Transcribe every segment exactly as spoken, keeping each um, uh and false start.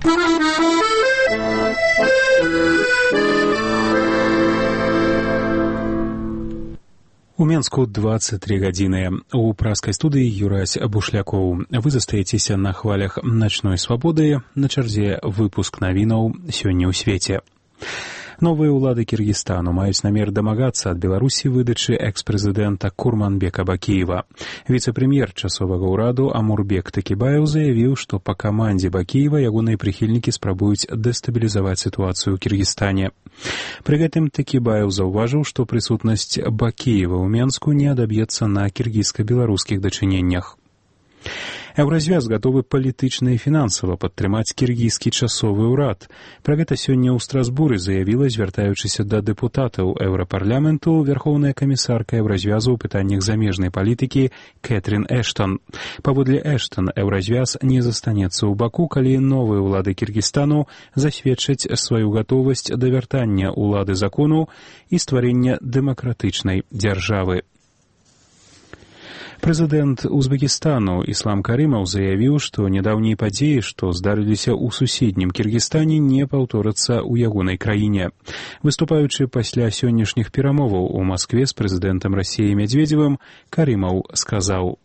У Менску двадцать три гадзіны. У праскай студыі Юрась Бушлякоў. Вы застаецеся на хвалях начной свабоды. На чарзе выпуск навінаў сёння ў свеце. Новыя ўлады Кіргізстану маюць намер дамагацца ад Беларусі выдачы экс-прэзідэнта Курманбека Бакіева. Віцэ-прэм'ер часовага ўраду Амурбек Такібаев заявіў, што па камандзе Бакіева ягоныя прыхільнікі спрабуюць дэстабілізаваць сітуацыю ў Кіргізстане. Пры гэтым Такібаев заўважыў, што прысутнасць Бакіева ў Менску не адаб'ецца на кіргізска-беларускіх дачыненнях. Еўразвяз гатовы палітычна і фінансава падтрымаць кіргізскі часовы ўрад. Пра гэта сёння ў Страсбуры заявіла, звяртаючыся да дэпутатаў Еўрапарламенту, вярхоўная камісарка Еўразвязу ў пытаннях замежнай палітыкі Кэтрин Эштон. Паводле Эштон, Еўразвяз не застанецца ў баку, калі новыя ўлады Кіргізстану засведчаць сваю гатовасць да вяртання ўлады закону і стварення дэмакратычнай дзяржавы. Прэзідэнт Узбекістану Іслам Карымаў заявіў, што нядаўнія падзеі, што здарыліся ў суседнім Кіргізстане, не паўторацца ў ягонай краіне. Выступаючы пасля сённяшніх перамоваў у Маскве з прэзідэнтам Расіі Медведзевым, Карымаў сказаў: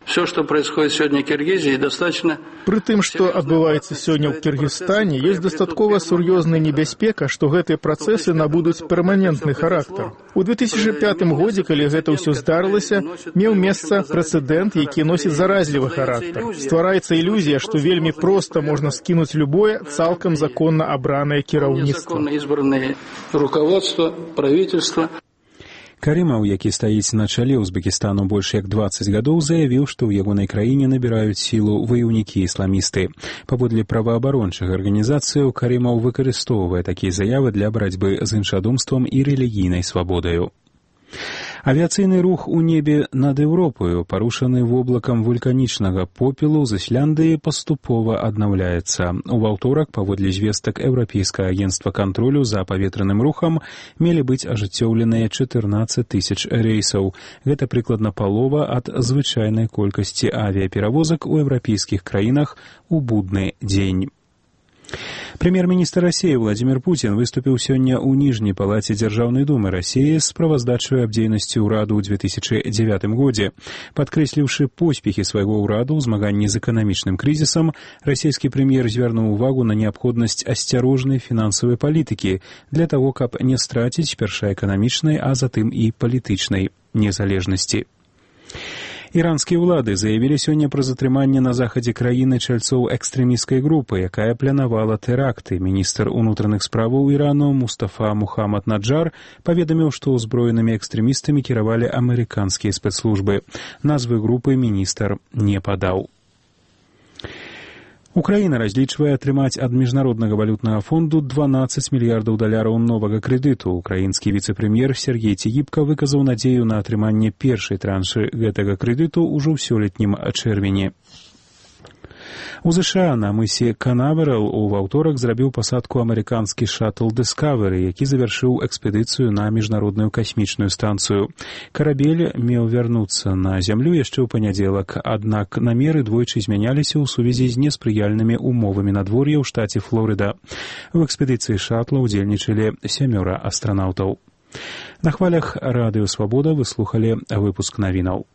Все, что происходит сегодня в Киргизии, достаточно... При тым, што адбываецца сёння ў Кіргізстане, ёсць дастаткова сур'ёзная небяспека, што гэтыя працэсы набудуць перманентны характар. У две тысячи пятым годзе, калі гэта ўсё здарылася, меў месца прэцэдэнт, які носіць заразлівы характар. Ствараецца ілюзія, што вельмі проста можна скінуць любое цалкам законна абранае кіраўніцтва. Руководство, правительство. Карымаў, які стаіць на чале Узбекістану больш як дваццаць гадоў, заявіў, што ў ягонай краіне набіраюць сілу ваяўнікі-ісламісты. Паводле праваабарончых арганізацыяў, Карымаў выкарыстоўвае такія заявы для барацьбы з іншадумствам і рэлігійнай свабодаю. Авіяцыйны рух у небе над Еўропаю, парушаны воблакам вулканічнага попелу з Ісляндыі, паступова аднаўляецца. У аўторак, паводле звестак Еўрапейскага агенцтва кантролю за паветраным рухам, мелі быць ажыццёўленыя чатырнаццаць тысяч рэйсаў. Гэта прыкладна палова ад звычайнай колькасці авіяперавозак у еўрапейскіх краінах у будны дзень. Прэм'ер-міністр Расіі Владзімір Пуцін выступіў сёння ў ніжняй палаце Дзяржаўнай думы Расіі з справаздачай аб дзейнасці ўраду ў две тысячи дзевятым годзе. Падкрэсліўшы поспехі свайго ўраду ў змаганні з эканамічным крызісам, расійскі прэм'ер звярнуў увагу на неабходнасць асцярожнай фінансавай палітыкі для таго, каб не страціць перша эканамічнай, а затым і палітычнай незалежнасці. Іранскія ўлады заявілі сёння пра затрыманне на захадзе краіны чальцоў экстрэмісцкай групы, якая планавала тэракты. Міністр унутраных справаў Ірану Мустафа Мухаммад Наджар паведаміў, што ўзброенымі экстрэмістамі кіравалі амерыканскія спецслужбы. Назвы групы міністр не падаў. Украіна разлічвае атрымаць ад міжнароднага валютнага фонду дванаццаць мільярдаў даляраў новага крэдыту. Украінскі віцэ-прэм'ер Сергей Цігіпка выказаў надзею на атрыманне першай траншы гэтага крэдыту ўжо ў сёлетнім чэрвені. У ЗША на мысе Канаверал у аўторак зрабіў пасадку амерыканскі шаттл Discovery, які завяршыў экспедыцыю на міжнародную касмічную станцыю. Карабель меў вярнуцца на зямлю яшчэ ў панядзелак, аднак намеры двойчы змяняліся ў сувязі з неспрыяльнымі умовамі надвор'я ў штаце Флорыда. У экспедыцыі шаттла ўдзельнічалі сямёра астранаўтаў. На хвалях радыё Свабода вы слухалі выпуск навінаў.